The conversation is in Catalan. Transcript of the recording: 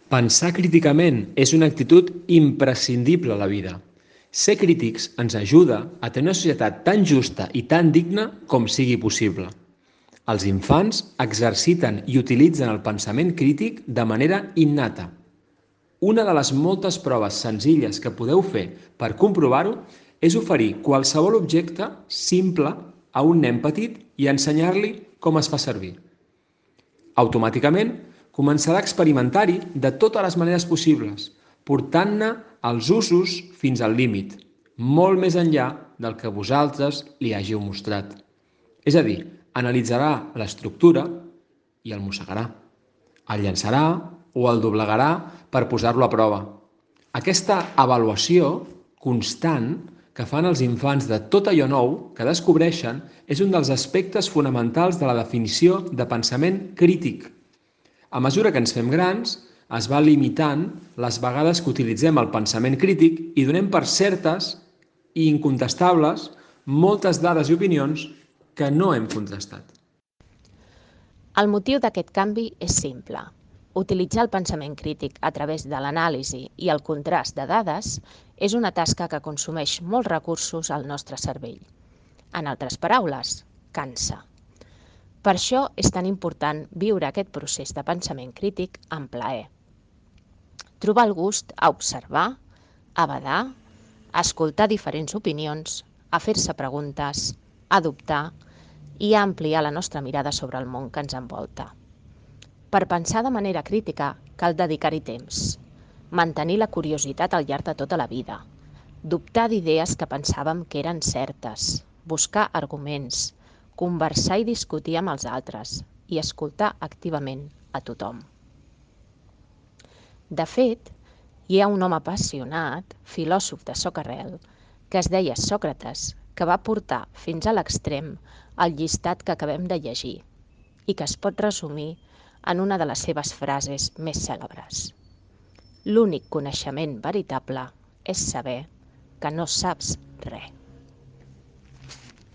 Pensar críticament és una actitud imprescindible a la vida. Ser crítics ens ajuda a tenir una societat tan justa i tan digna com sigui possible. Els infants exerciten i utilitzen el pensament crític de manera innata. Una de les moltes proves senzilles que podeu fer per comprovar-ho és oferir qualsevol objecte simple a un nen petit i ensenyar-li com es fa servir. Automàticament començarà a experimentar-hi de totes les maneres possibles, portant-ne els usos fins al límit, molt més enllà del que vosaltres li hàgiu mostrat. És a dir, analitzarà l'estructura i el mossegarà, el llançarà o el doblegarà per posar-lo a prova. Aquesta avaluació constant que fan els infants de tot allò nou que descobreixen és un dels aspectes fonamentals de la definició de pensament crític. A mesura que ens fem grans, es va limitant les vegades que utilitzem el pensament crític i donem per certes i incontestables moltes dades i opinions que no hem contrastat. El motiu d'aquest canvi és simple. Utilitzar el pensament crític a través de l'anàlisi i el contrast de dades és una tasca que consumeix molts recursos al nostre cervell. En altres paraules, cansa. Per això és tan important viure aquest procés de pensament crític amb plaer. Trobar el gust a observar, a badar, a escoltar diferents opinions, a fer-se preguntes, a dubtar i a ampliar la nostra mirada sobre el món que ens envolta. Per pensar de manera crítica cal dedicar-hi temps, mantenir la curiositat al llarg de tota la vida, dubtar d'idees que pensàvem que eren certes, buscar arguments, conversar i discutir amb els altres i escoltar activament a tothom. De fet, hi ha un home apassionat, filòsof de socarel, que es deia Sòcrates, que va portar fins a l'extrem el llistat que acabem de llegir i que es pot resumir en una de les seves frases més cèlebres. L'únic coneixement veritable és saber que no saps res.